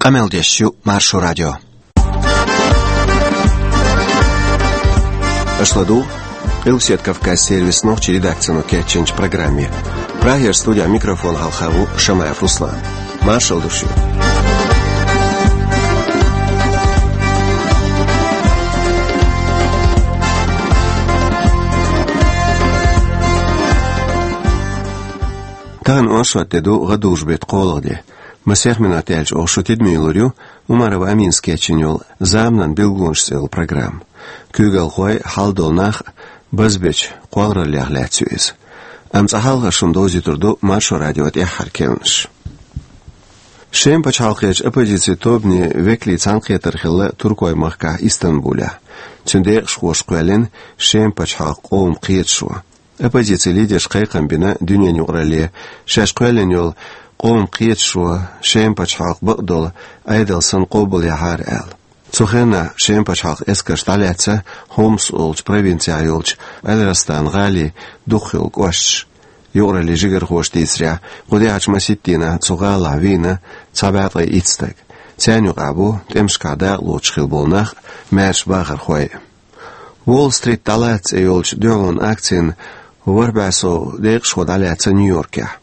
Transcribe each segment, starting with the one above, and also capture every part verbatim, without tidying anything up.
Къамел деш ю Маршо радио. Аша ладугӀу Къилбаседа Кавказан сервисан нохчийн редакцино кечйинчу программе. Прагера студехь микрофон хьалха ву Шамаев Руслан. Маршалла ду шуьга. Тахана оршот де ду, гӀадужу-беттан кхоалгӀа де. Масех минот яьлча оха шу тидаме лур ю Умарова Аминас кечйина йолу «Заманан билгалонаш» цӀе йолу программа. Куьйгалхой, хьал долу нах базбечу кхоллараллех лаьцна ю иза. Амма цкъа хьалха шуна довзуьйтур ду Маршо радион тӀаьххьара керланаш. Шеман пачхьалкхерчу оппозицин тобанийн векалийн цхьаьнакхетар хилла туркойн махкахь Истанбулехь. Цуьнан декъашхоша кхоьллина Шеман пачхьалкхан къоман кхеташо. Оппозицин лидерша кхайкхам бина дуьненан юкъаралле, шаьш кхоьллина йолу къоман кхеташо Шеман пачхьалкхан бакъдолу Ӏедал санна къобалъяхьара аьлла. Цу хенахь Шеман пачхьалкхан эскарша дӀалаьцна Хомс олучу провинцехь йолчу Аль-Растан гӀалин дукхах йолу кӀошташ. Юкъараллин жигархоша дийцарехь, кху тӀаьхьарчу масийтта дийнахь цу гӀалахь вийна цхьа бӀе ткъе итт стаг. Царна юкъахь бу тӀемашкахь дакъалоцуш хилла болу нах, маьрша бахархой а. «Уолл-Стрит дӀалаца» цӀе йолчу дуьхьалонан акцина ворхӀ бӀе сов декъашхо дӀалаьцна Нью-Йоркехь.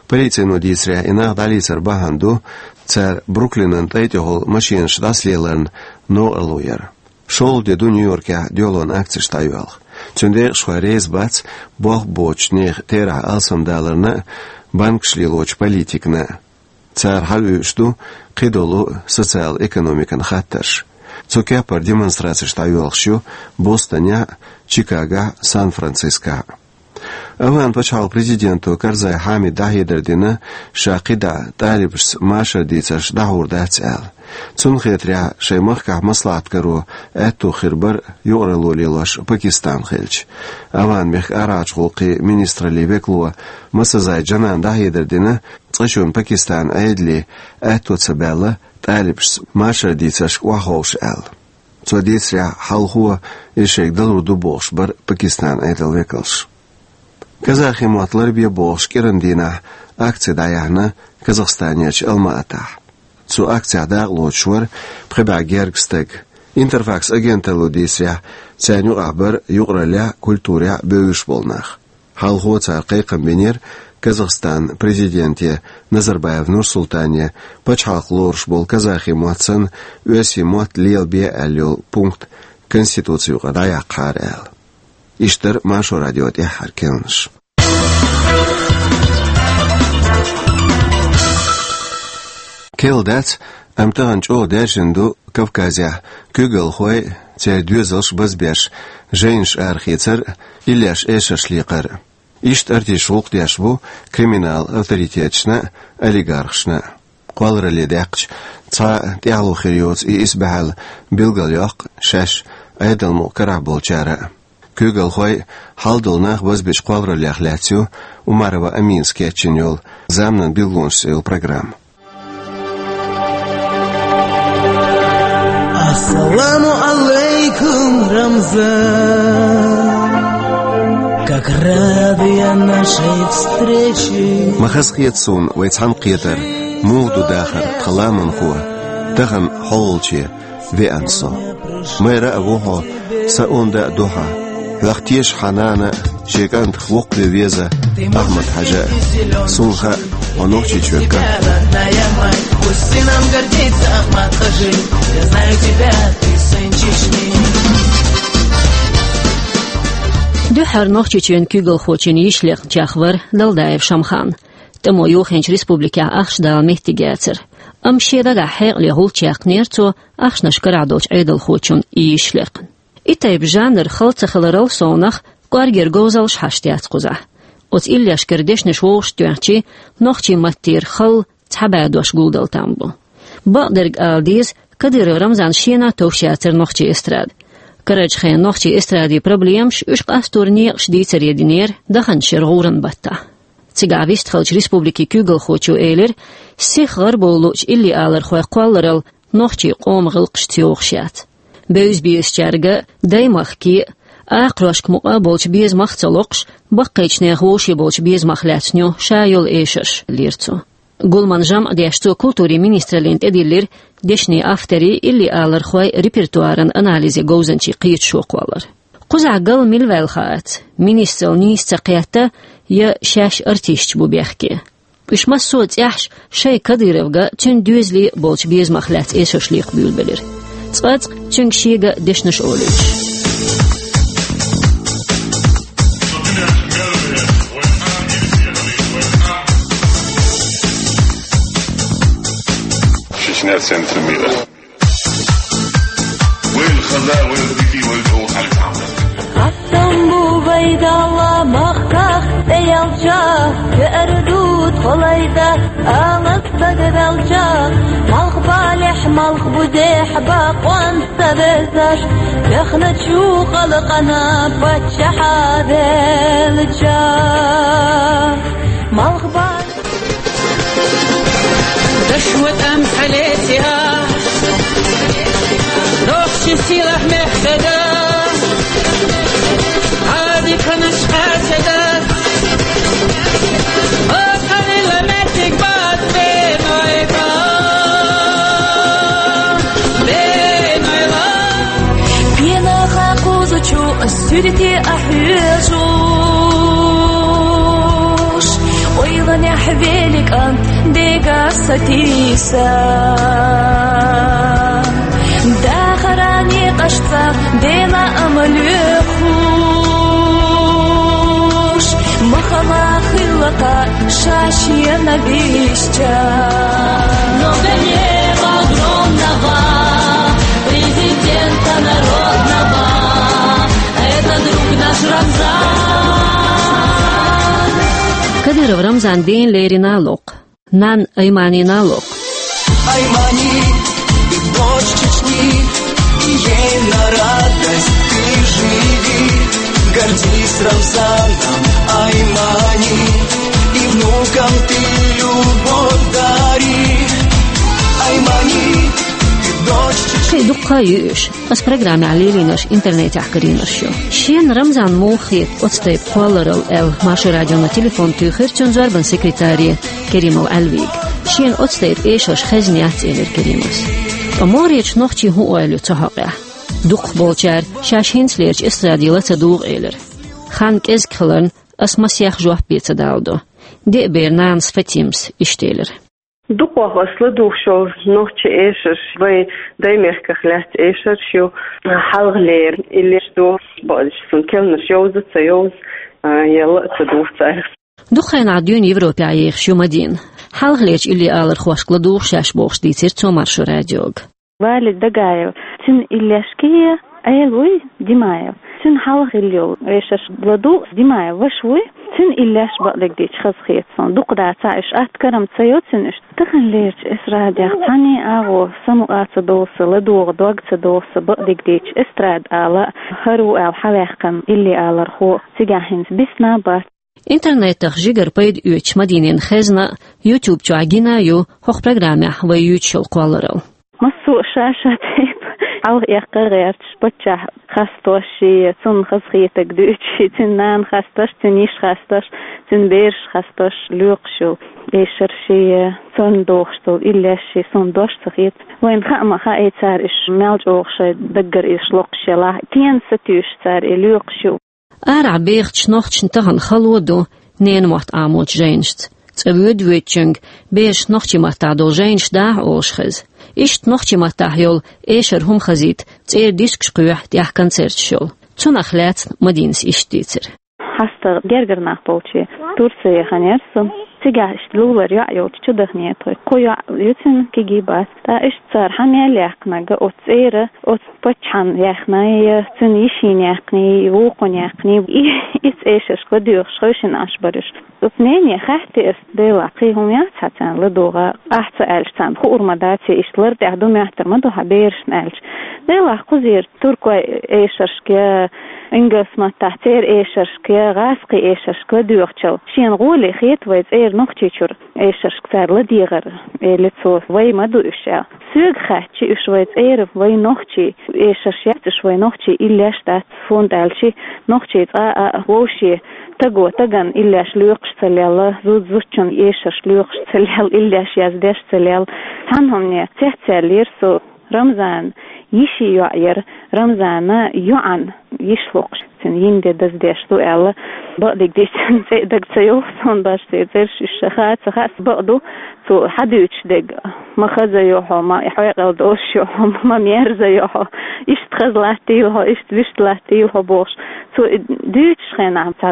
Полицино дийцарехь, и нах дӀалецар бахьана ду, цара Бруклинан тӀай тӀехула машенаш дӀасалеларна новкъарло яр. ШолгӀа де ду Нью-Йоркехь дуьхьалонан акцеш дӀайоьлху. Цуьнан декъашхой реза бац болх боцучу нехан терахь алсамдаларна а, банкаш лелочу политикана а. Цара хьалаоьцуш ду кхидолу социал-экономикан хаттарш. Цу кеппара демонстрацеш дӀайоьлхуш ю Бостонехь а, Чикагохь а, Сан-Францискохь а. Афган пачхьалкхан президенто Карзай Хьамида дӀахьедар дина, ша кхидӀа тӀалибашца машар дийцарш дӀахьур дац аьлла. Цунна хетарехь, шайн махкахь маслаӀат каро аьтто хир бара юкъаралло лелош Пакистан хилча. Афган мехкан арахьарчу гӀуллакхийн министраллин векало Масазай Джанана дӀахьедар дина, цкъачунна Пакистанан Ӏедале аьтто ца баьлла тӀалибашца машар дийцаршка охьаховша аьлла. Цо дийцарехь, хьалхо иза шайга далур ду бохуш бара Пакистанан Ӏедалан векалш. Казахи мотт ларбе бохуш кӀиран дийнахь акци дӀаяьхьна Казахстанерчу Алма-Атахь. Цу акцехь дакъалоцуш вара пхи бӀе гергга стаг. Интерфакс агенталло дийцарехь, царна юкъахь бара юкъараллехь а, культурехь а бевзаш болу нах. Хьалхо цара кхайкхам бинера Казахстанан президенте Назарбаев Нурсултане пачхьалкх лоруш болу казахи мотт санна, оьрсийн мотт лелабе аьлла йолу пункт Конституци юкъара дӀаяккхахьара аьлла. Иштта дара Маршо радион тӀаьххьара керланаш. Керла дац, амма тахана чӀогӀа даьржина ду Кавказехь куьйгалхой а, церан доьзалш а базбеш, жайнаш арахецар а, иллеш эшарш лекхар а. Иштта артисташа гӀуллакх деш бу криминалан авторитеташна а, олигархашна а. Кхолларалле даьккхича, цхьа а тӀаьхьало хир йоцу и исбаьхьалла билгалйоккху шаьш Ӏедалан мукъа карахь болчара а. Куьйгалхой а, хьал долу нах базбечу кхоллараллех лаьцна ю Умарова Аминас кечйина йолу «Заманан билгалонаш» цӀе йолу программа. Ассаламу алейкум, Рамзан. Как рад я нашей встрече. Ма хазахета суна вай цхьаьнакхетар, муха ду дахар тхан ламанхо, тахана хьо волче веана со. Майра а ву хьо, сан онда а ду хьан. Хьох тешаш хьан нана а, шен кӀантах воккхаве веза Ахьмад-Хьаьжа а. Суна хаьа, хьо Нохчийчоьнан кӀант. Дуьххьара Нохчийчоьнан куьйгалхочун йиша лекхначех вара Далдаев Шамхан. ТӀамо йохийначу республикехь ахча дала меттиг яцара. Амма шен дагахь хьекъале гӀулч яьккхинера цо ахчанаш карахь долчу Ӏедалхочун и йиша лекхна. И тайпа жанр хала ца хиларал совнах, кӀоргера говзаллаш хьашт яц кхузахь. Оцу иллешкара дешнаш вовшахтоьхча, нохчийн маттера хала цхьа бӀе дош гулдала там бу. Бакъдерг ала деза, Кадыров Рамзана шена а товш яцара нохчийн эстрада. Карарчу хенан нохчийн эстрадин проблемаш, уьш къастор некъаш дийцаре динера даханчу шеран гӀуран баттахь. Цигахь вистхиллачу республикин куьйгалхочо элира, сиха гӀарабовла луучу иллиалархойн кхолларалла нохчийн къоман гӀиллакхашца йогӀуш яц. Бевза-безачаьрга а, даймахке а, акхарошка мукъа а болчу безамах а ца локхуш, баккхийчу нехан вовшийн болчу безамах лаьцна ю ша йолу эшарш, элира цо. Гулман жамӀ деш, цо культурин министраллина тӀедиллира дешнийн авторий, илли алархой репертуаран анализе говзанчийн кхеташо кхоллар. Кхузахь гал мила ваьлла хаац, министралла нийса ца кхетта, я шаьш артисташ бу бехке. Уьш массо а цӀехьаш шайн Кадыровга, цуьнан доьзале болчу безамах лаьцна эшарш лакхабуьйлабелира. Цкъацкъа цуьнга шега дешнаш олуьйтуш. Чечня — центр мира. Вайн хаза, вайн дики, вайн чӀогӀа хьалха. Хаттам бу вай Далла махках тӀеялча, веара ду тхо лайда, ала стаг велча, малхбалехь, малхбузехь бакъонца везаш, бехначу халкъана паччахьа велча. Малхбал Даш ватӀан хьалеца, нохчийн сийлахь мехкада, хьадиканаш къаьчада, о, хьалила меттиг бац беной ба, беной ла. Пенаха кхузачу суьрте а хьоьжуш, ойланехь великан дега сатийса. Дахаран некъашца дела ам лоьхуш, махала хилла кха ша шена бисча. Но гнев огромного президента народного, это друг наш Рамзан. Кадыров Рамзан ден лерина локх. Нан Айманина локх. Аймани, ты дочь Чечни, и ей на радость ты живи. Гордись Рамзаном, Аймани, и внукам ты любовь дари. Аймани, ты дочь Чечни. Хей, дуккха а юьш. Ас программехь лелийнарш интернетехь карийнарш ю. Шен Рамзан муха хета оцу тайпа кхолларал аьлла, Маршо радиона телефон туьйхира цуьнан зорбан секретаре Керимов Ӏаьлвига. Шена оцу тайпа эшарш хезна яц, элира Керимовс. Ткъа могӀарерчу нохчийн хӀун ойла ю цу хьокъехь? Дукхахболчара шаьш хӀинцалерчу эстраде ла ца дугӀу элира. Хан кӀезиг хиларна, ас масех жоп бен ца даладо. Деа бер нанас Фатимас иштта элира. Дукхох ас ладугӀуш йолу нохчийн эшарш, вайн даймехках лаьцна эшарш ю, хьалхалера иллеш ду, бакъдерг цунна керланаш йовза а ца йовза, а, я ла а ца дугӀу цара. Дукха хенахь дуьйна Европехь ехаш ю Мадина. Хьалхалерчу илли алархошка ладугӀу шаьш бохуш дийцира цо Маршо радиога. Валид Дагаев, цуьнан иллешкий Ӏела вуй Димаев. Цуьнан хьалха хилла йолу эшарш ладугӀу Димаев ваша вуй. Цуьнан иллеш бакъдерг дийцича хазахета суна. Дукха дацахь уьш, атта кара-м ца йо цуьнан уьш. Таханлерчу эстрадехь цхьанний агӀор самукъа ца довла сан, ладогӀа дог ца довла сан, бакъдерг дийцича, эстрада ала а, хӀара ву аьлла хьаваьккхина илли алархо цигахь хӀинца бисна а бац. Интернетах жигара пайда оьцуш Мадинина хезна а, YouTube чохь гина а ю хӀокху программехь вай юьйцуш йолу кхолларалла. Массо а ша-ша тайпа хьалха эккха а гӀерташ, паччахь хастош шен, цунна хазахетарг дуьйцуш шен, цуьнан нана хастош, цуьнан йиша хастош, цуьнан бераш хастош, лоькхуш йолу эшарш шен, цунна дохуш долу иллеш шен, суна дош ца хета. Вайна хаа ма хаьа цара уьш мел чӀогӀа шайн даггара уьш локхуш елахь, кена сатуьйсуш цара и лоькхуш ю. Арахь бехачу нохчашна тахана хало ду ненан мотт Ӏамочу жайнашца. Цкъа воьду-воьдучуьнга бераш нохчийн маттахь долу жайнаш дахьа олуш хеза. Иштта нохчийн маттахь йолу эшар хӀума хазийта цӀера дискаш кхоьхьу, тӀехь концерташ йолу. Цунах лаьцна Мадинас иштта дийцира. ХьастагӀа гергара нах болчу Турци яхана яра со. Цигахь иштта лулара йоӀ йолчу чу дахнера тхо. Кхо йоӀ ю цуьнан, кегий бац. Ткъа иштта цара хьан мел яьккхинарг оцу цӀера, оцу паччахьна яьккхиний, я цуьнан йишина яьккхиний, вукхунна яьккхиний, и, и цӀе эшаршка ладоьгӀуш хевшина Ӏаш бара уьш. Оцу нене хаьттира ас, делахь, кхин хӀума яц хьан царна ладогӀа, ахь ца аьлча, царна хуур ма дац, я иштта лар тӀехь ду моьттур ма ду хьан берашна аьлча. Делахь, кхузера туркойн эшаршка, я Ингалс маттахь церан эшаршка я гӀазкхийн эшаршка ладоьгӀучул, шена гӀоле хета вай цӀера Нохчийчуьра эшаршка цара ладегӀар, элира цо, вай ма ду уьш аьлла. Соьга хаьттича уьш вай цӀера, вай нохчий эшарш яц уьш, вай нохчий иллеш дац, хӀунда аьлча нохчий цкъа а вовшийн таго тагана иллеш лоькхуш ца лелла, зуда зудчун эшарш лоькхуш ца лелла, иллеш яздеш ца лелла. Цхьана хӀумане цецваьллера со. Рамзан йишин йоӀ яра, Рамзана йоӀан йиша локхуш, цуьнан йина де даздеш ду аьлла. Бакъдерг дийцича, цӀе а дага ца йогӀу суна, башха церан цӀераш уьш ша хаа ца хаьа, бакъду, цо хьадуьйцуш дерг, ма хаза йо хьо, ма хьоькъал долуш йо хьо, ма мерза йо хьо, иштта хаза латтийла хьо, иштта вуьшта латтийла хьо бохуш. Цо и дуьйцучу хенахь цхьа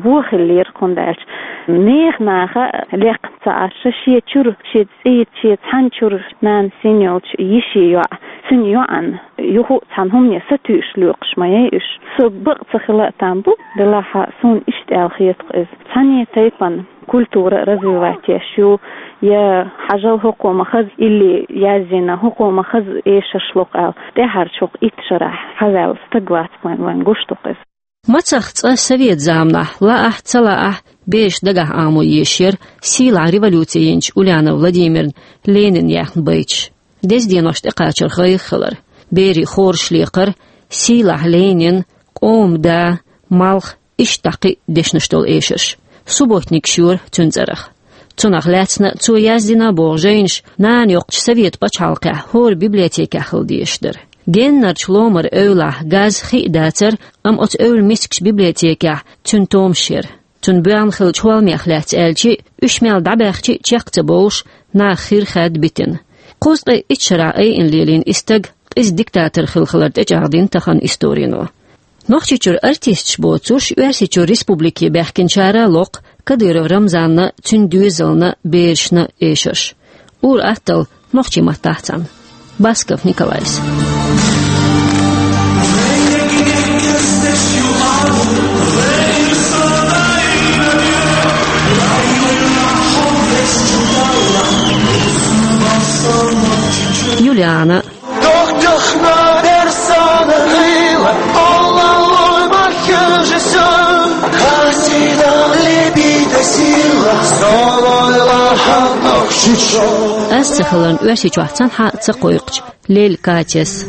вон хиллера, хӀунда аьлча нехан наха лекха ца Ӏаш, шен чуьра, шен цӀийца, шен цхьана чуьра нана син йолчу йишин йоӀ, цуьнан йоӀан юха а цхьана хӀумане сатуьйсуш лоькхуш ма яй уьш. Со бакъ ца хила а там бу, делахь а суна иштта аьлла хета-кх иза. Цхьанне тайпана культура развивать еш ю, я хьажал хӀокхо ма хаза илли яздина, хӀокхо ма хаза эшарш локху аьлла, тӀаьхьарчу хӀокху итт шарахь хьаваьлла стаг вац-кх вайн, вайн гуш ду-кх иза. Мацах цкъа совет заманахь, лаахь а, ца лаахь а, бераш дагахь Ӏамо езаш яра сийлахь революци йинчу Ульянов Владимирна Ленин яьхна байташ. Деза деношна тӀекхачарх гӀайгӀа хилар, берийн хораш лекхар, сийлахь Ленин, къоман да, малх, иштта кхин а дешнаш долу эшарш. Субботникаш йора цуьнан цӀарах. Цунах лаьцна цо яздина боху жайнаш нана йоккхучу совет пачхьалкхехь хӀора библиотекехь хила дезаш дара. Геннарчу ломара эвлахь газ, хи а дацара, амма оцу эвла мискачу библиотекехь цуьнан томаш яра. Цунна боьхна хиллачу хӀолламех лаьцна аьлча, уьш мел дӀабаьхча а чекх ца бовлуш, наха хир хаьдда битина. Кхузткъе итт шарахь айина лелийна и стаг къиза диктатор хилла хилар тӀечӀагӀдина тахана историно. Нохчийчуьра артисташ боцуш, Оьрсийчуьра республике баьхкинчара локху Кадыров Рамзанна, цуьнан доьзална, берашна эшарш. Ур-атталла нохчийн маттахь цхьаьна. Басков Николайс. Юлиана. Ас ца хиларна, Оьрсийчохь цхьанхьа а ца кхойкхучу Лель Катяс.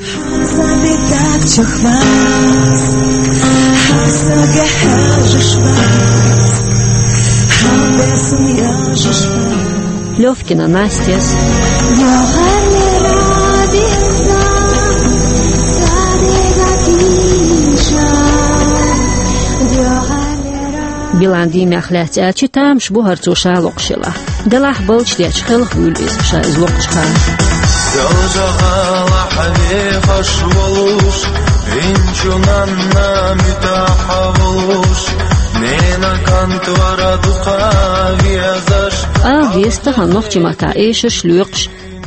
Левкина Настяс. Билан диймех лаьцна аьлча, тамаш бу хӀара цо ша локхуш елахь. Делахь балчу дечу хелхавуьйлу иза, ша иза локхучу хана. Ялжа гӀала хьан вехаш волуш, инчу нанна муьтӀахь волуш, нена кантвара дукха везаш. Ала деза тахана нохчийн маттахь эшарш лоькхуш,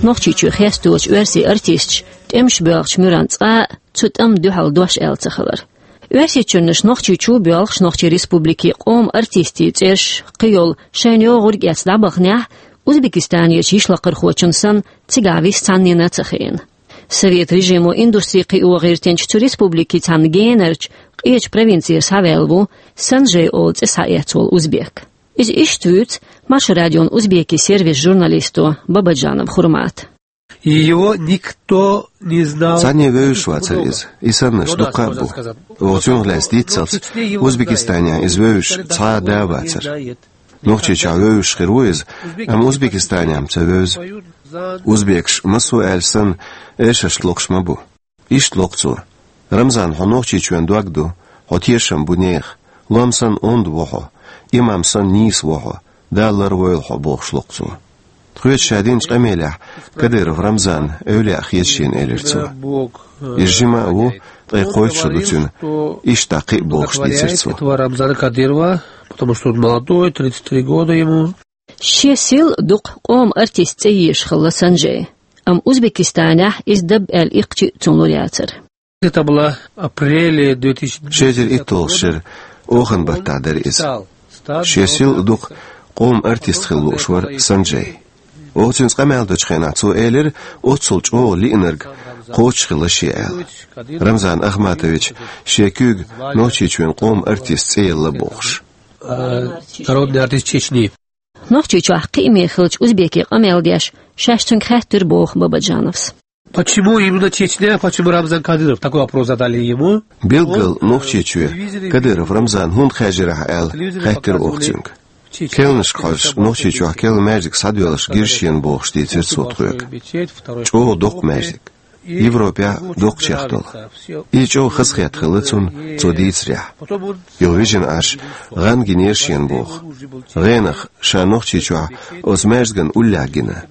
Нохчийчоь хестош оьрсийн артисташ тӀемаш боьлхучу муьрана цкъа а цу тӀамна дуьхьал дош аьлла ца хилар. Оьрсийчуьрнаш Нохчийчу боьлхуш, Нохчийн Республикин къоман артистийн цӀераш кхин йолу шайна йогӀург эцна дӀабаханехь, Узбекистанерчу йишлакхархочун санна, цигахь вист цхьаннена а ца хиъна. Совет режимо индустри кхио гӀиртинчу цу республикин цхьана генарчу къечу провинцера схьаваьлла ву Санжей олу цӀе схьаэцна волу узбек. Иза иштта вуьйцу Маршо радион узбекийн сервисан журналисто Бабаджанов Хурмата. Его никто не знал. Цхьанне вевзаш вацара иза. И саннарш дуккха а бу. Оха цунах лаьцна дийццалц, Узбекистанехь иза вевзаш цхьа а да а вацара. Нохчийчохь вевзаш хир ву иза, амма Узбекистанехь-м ца вевза. Узбекаш, массо а аьлча санна, эшаршка локхуш ма бу. Иштта локху цо: «Рамзан, хьо Нохчийчоьнан дог ду, хьо тешам бу нехан, лом санна онда ву хьо, имам санна нийса ву хьо, Дала ларвойла хьо», — бохуш локху цо. Тхоьца ша динчу къамелехь Кадыров Рамзан эвлаяъ хета шена, элира цо. Иза жима а ву, ткъе кхойтта шо ду цуьнан, иштта кхин а бохуш дийцира цо. Этого Рамзана Кадырова, потому что он молодой, тридцать три года ему. Шен сел а дукха къоман артист цӀе езаш хилла Санжей. Амма Узбекистанехь иза даб аьлла иккхача а цунна лур яцара. Это было апреле две тысячи... Ши эзар итталгӀа шеран оханан баттахь дара иза. Шен сел а дукха къоман артист хила лууш вара Санжей. Оха цуьнца къамел дечу хенахь цо элира, оццул чӀогӀа лиънарг кхочушхилла шен аьлла. Рамзан Ахматович шен куьйга Нохчийчоьнан къоман артист цӀе елла бохуш. Э, народный артист Чечни. Нохчийчохь кхиаме хиллачу узбеке къамел деш, шаьш цуьнга хаьттира боху Бабаджановс. Почему именно Чечня, почему Рамзан Кадыров? Такой вопрос задали ему. Билггал Нохчийчоь Кадыров Рамзан хӀунда хаьржира ахь аьлла, хаьттира оха цуьнга. Керланашка хьожуш, Нохчийчохь керла маьждиг схьадоьллуш гира шена бохуш дийцира цо тхоьга. ЧӀогӀа доккха маьждиг. Европехь доккхачех долу. И чӀогӀа хазахетта хилла цунна цо дийцарехь. Юха вижина Ӏаш, гӀан гинера шена боху. ГӀенах ша Нохчийчохь оцу маьждиган уллехь гина.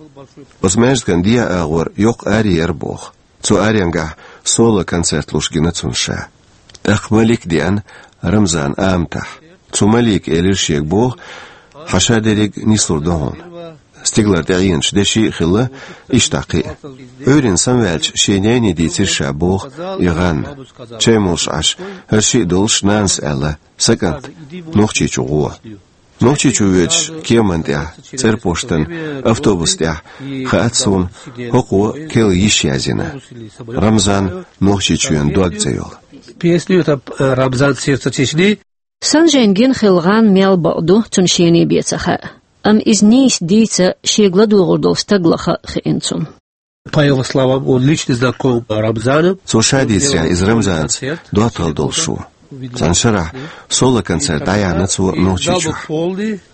Оцу маьждиган дегӀан агӀор йоккха аре яра боху. Цу аренгахь соло-концерт луш гина цунна ша. ТӀаккха Малик деана Рамзан аматахь. Цу Малика элира шега боху: «Хьан ша дерриг нислур ду хьуна. Стигалара тӀеӀеначу деши а хилла, иштта кхин а». Ӏуьйранна самаваьлча, шен нанас дийцира ша боху и гӀан. Чай молуш Ӏаш, хӀара шиъ долуш нанас аьлла: «Сан кӀант, Нохчийчу гӀо». Нохчийчу воьдуш кеманна тӀехь, цӀерпоштан автобус тӀехь, хаьа суна, хӀокхо керла йиш язйина. Рамзан «Нохчийчоьнан дог» цӀе йолу. Песню это, э, Рамзан, «Сердце Чечни». Санжейн гина хилла гӀан мел бакъ ду, цунна шена бен ца хаьа. Амма иза нийса дийца, шега ладугӀур долу стаг лаха а хиъна цунна. По его словам, он лично знаком Рамзану. Цо ша дийцарехь, иза Рамзанца доттагӀалла долуш ву. Цхьана шарахь соло-концерт дӀаяьхьна цо Нохчийчохь.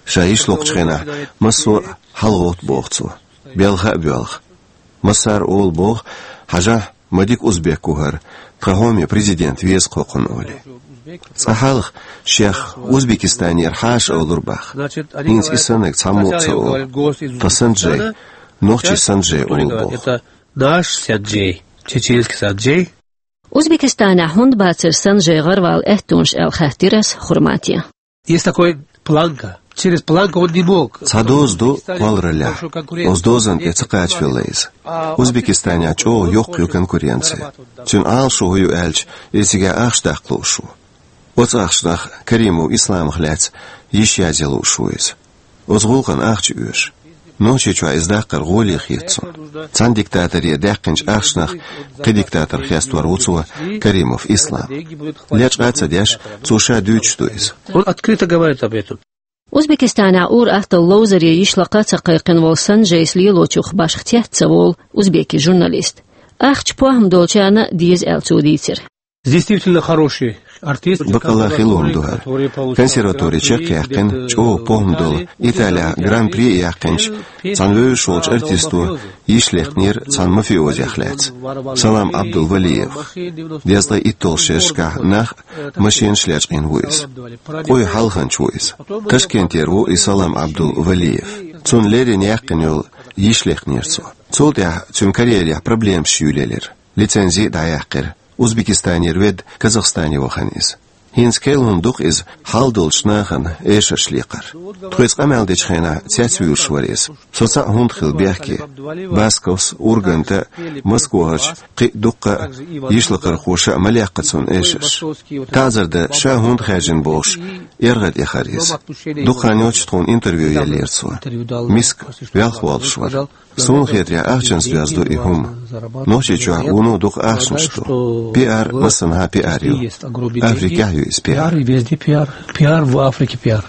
Ша йиш локхучу хенахь массо а хьалагӀовтту боху цо, белха а боьлху. Массара олу боху: «Хьажахь, ма дика узбек ву хӀара, тхан хьоме президент веза кхокхунна», олий. Цкъа хьалха шех Узбекистанера хьаша олура боху. ХӀинца и саннарг цхьаммо а ца олу. Тхан Санджей, нохчийн Санджей олу боху. Это наш Санджей, чеченский Санджей. Узбекистанехь хӀунда бацара Санджей гӀаравала аьттонаш аьлла хаьттира ас Хурмате. Есть такой планка. Через планку он не мог. Цхьа доза ду кхоллараллехь. Оцу дозанна тӀе ца кхачавелла иза. Узбекистанехь чӀогӀа йоккха ю конкуренция. Цуьнан Ӏалашо хӀун ю аьлча, иза цигахь ахча даккха лууш ву. Оцу ахчанах Каримов Исламах лаьцна йиш язъян лууш ву иза. Оцу гӀуллакхана ахча оьшу. Нохчийчохь иза даккхар гӀоле хета цунна. Цхьана диктаторе даьккхинчу ахчанах кхин диктатор хестор ву цо, Каримов Ислам. Лечкъа а ца деш, цо ша дуьйцуш ду иза. Он открыто говорит об этом. Узбекистанехь ур-атталла ловзаре йиш лакха а ца кхайкхина волу Санджейс лелочух башха цец ца волу узбеки журналист. Ахча похӀма долчарна а деза аьлла цо дийцира. Действительно хороший артист. Баккъалла хила хӀума ду хӀара. Консерватори чекхъяьккхина, чӀогӀа похӀма долу, Италехь гран-при а яьккхинчу, цхьана вевзаш волчу артисто йиш лекхнера цхьана мафиозех лаьцна, Салам Абдулвалиевх. Дезткъе итталгӀачу шерашкахь нах а, машенаш а лечкъийна ву иза. Къуй хьалханча ву иза. Ташкентера ву и Салам Абдулвалиев. Цунна леррина яьккхина йолу йиш лекхнера цо. Цул тӀаьхьа цуьнан карьерехь проблемаш юьйлаелира. Лицензи а дӀаяьккхира. Узбекистанера ведда, Казахстане вахана иза. ХӀинца керла хӀума ду-кх иза хьал долчу нахана эшарш лекхар. Тхоьца къамел дечу хенахь цецвуьйлуш вара иза. Со цхьаъ хӀунда хила бехке. Басковс, Урганта, Москвахарчу кхин а дуккха а йиш лакхархоша а ма лекха цунна эшарш. ТаӀзар дан ша хӀунда хаьржина бохуш, эргӀа тӀехара иза. Дукха хан йоццуш тхуна интервью еллера цо. Миска, велха воллуш вара. Суна хетарехь, ахчанца доьзна ду и хӀума. Нохчийчохь вуно дукха ахчанаш ду. Пиар, массанхьа пиар ю. Африкехь ю иза пиар. Пиар, везде пиар. Пиар в Африке, пиар.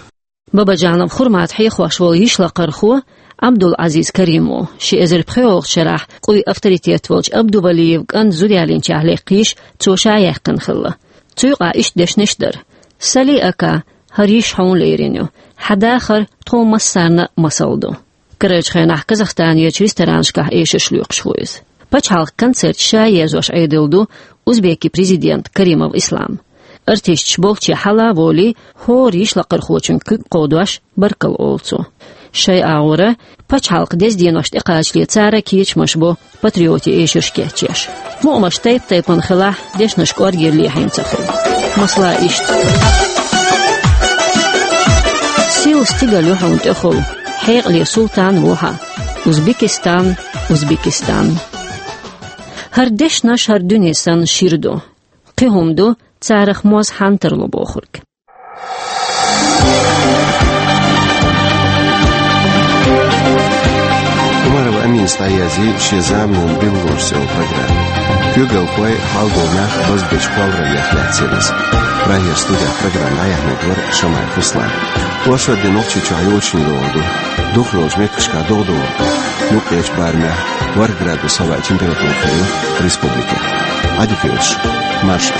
Бабаджанов Хурмат хьехош волу йиш лакхархо Абдул-Азиз Каримов ши эзар пхоьалгӀачу шарахь къуй авторитет волчу Абдувалиев кӀант зуда ялийнчохь лекха йиш цо ша яьккхина хилла. Цу юкъахь иштта дешнаш дара: «Сали ака, хӀара йиш хьуна лерина ю. Хьан дахар тхо массарна а масал ду». Карарчу хенахь Казахстанерчу ресторанашкахь эшарш лоькхуш ву иза. Пачхьалкхан концерт ша езош Ӏедал ду узбеки президент Каримов Ислам. Артисташ болчче хьала а волий, хӀора йиш лакхархочун куьг кховдош, баркалла олу цо. Шайн агӀора, пачхьалкхан деза денош тӀекхачале цара кечамаш бо патриотийн эшарш кечъеш. Мукъамаш тайп-тайпана хилахь, дешнаш кӀоргера лехьийна ца хуьлу. Масала иштта: «Сийлахь стигал ю хьуна тӀехула, хьекъале султан ву хьан. Узбекистан, Узбекистан». ХӀара дешнаш хӀара дуьне санна шира ду. Кхин хӀума ду, царах моз хьан тарло бохург. ДӀаязве шен заманан «Белгораш» йолу программа. Куьйгалхой, хьалдолу нах базбечу кхоллараллех лаьцна еза. Прагера студехь программа дӀаяьхьнарг вара Шамаев Руслан. Оршот де Нохчийчохь йочун догӀу ду. Духар йолчу меттигашкахь догӀу догӀу. Юккъерчу барамехь ворхӀ градус хьалха температура хир ю республикехь. Ӏадика йойла шун. Марша.